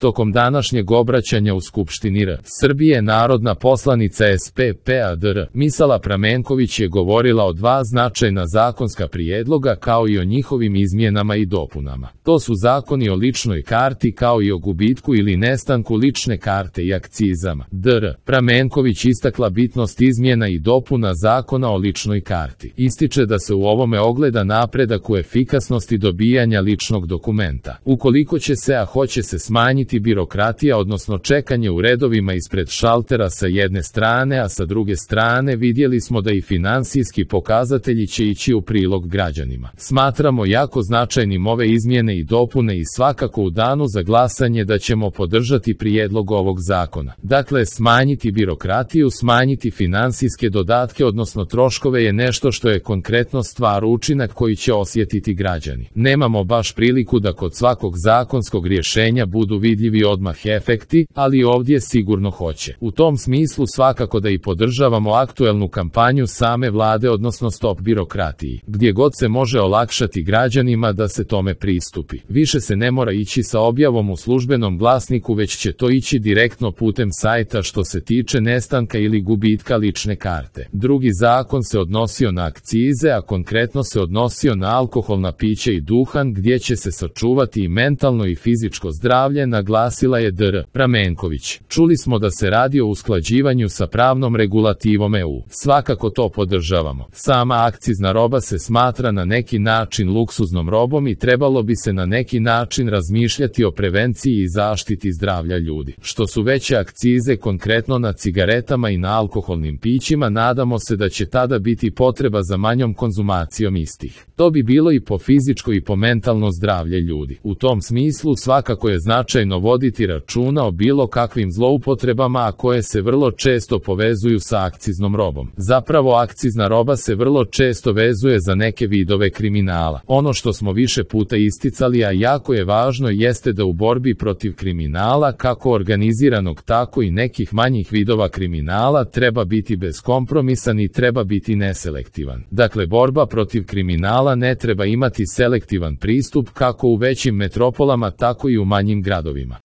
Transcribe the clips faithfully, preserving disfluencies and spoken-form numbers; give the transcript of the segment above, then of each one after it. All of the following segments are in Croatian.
Tokom današnjeg obraćanja u Skupštini R. Srbije narodna poslanica S P P A D R. Misala Pramenković je govorila o dva značajna zakonska prijedloga kao i o njihovim izmjenama i dopunama. To su zakoni o ličnoj karti kao i o gubitku ili nestanku lične karte i akcizama. D R. Pramenković istakla bitnost izmjena i dopuna zakona o ličnoj karti. Ističe da se u ovome ogleda napredak u efikasnosti dobijanja ličnog dokumenta. Ukoliko će se, a hoće se smanjiti birokratija, odnosno čekanje u redovima ispred šaltera sa jedne strane, a sa druge strane vidjeli smo da i finansijski pokazatelji će ići u prilog građanima. Smatramo jako značajnim ove izmjene i dopune i svakako u danu za glasanje da ćemo podržati prijedlog ovog zakona. Dakle, smanjiti birokratiju, smanjiti finansijske dodatke, odnosno troškove je nešto što je konkretno stvar, učinak koji će osjetiti građani. Nemamo baš priliku da kod svakog zakonskog rješenja budu vidljivi odmah efekti, ali ovdje sigurno hoće. U tom smislu svakako da i podržavamo aktuelnu kampanju same vlade, odnosno Stop birokratiji, gdje god se može olakšati građanima da se tome pristupi. Više se ne mora ići sa objavom u službenom glasniku, već će to ići direktno putem sajta što se tiče nestanka ili gubitka lične karte. Drugi zakon se odnosio na akcize, a konkretno se odnosio na alkoholna pića i duhan, gdje će se sačuvati i mentalno i fizičko zdravlje, naglasila je D R. Pramenković. Čuli smo da se radi o usklađivanju sa pravnom regulativom E U. Svakako to podržavamo. Sama akcizna roba se smatra na neki način luksuznom robom i trebalo bi se na neki način razmišljati o prevenciji i zaštiti zdravlja ljudi. Što su veće akcize konkretno na cigaretama i na alkoholnim pićima, nadamo se da će tada biti potreba za manjom konzumacijom istih. To bi bilo i po fizičko i po mentalno zdravlje ljudi. U tom smislu svakako je značajno voditi računa o bilo kakvim zloupotrebama, a koje se vrlo često povezuju sa akciznom robom. Zapravo akcizna roba se vrlo često vezuje za neke vidove kriminala. Ono što smo više puta isticali, a jako je važno, jeste da u borbi protiv kriminala, kako organiziranog tako i nekih manjih vidova kriminala, treba biti beskompromisan i treba biti neselektivan. Dakle, borba protiv kriminala ne treba imati selektivan pristup kako u većim metropolama tako i u manjim gradovima.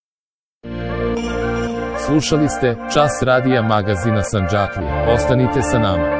Slušali ste Čas radija magazina Sandžaklija. Ostanite sa nama.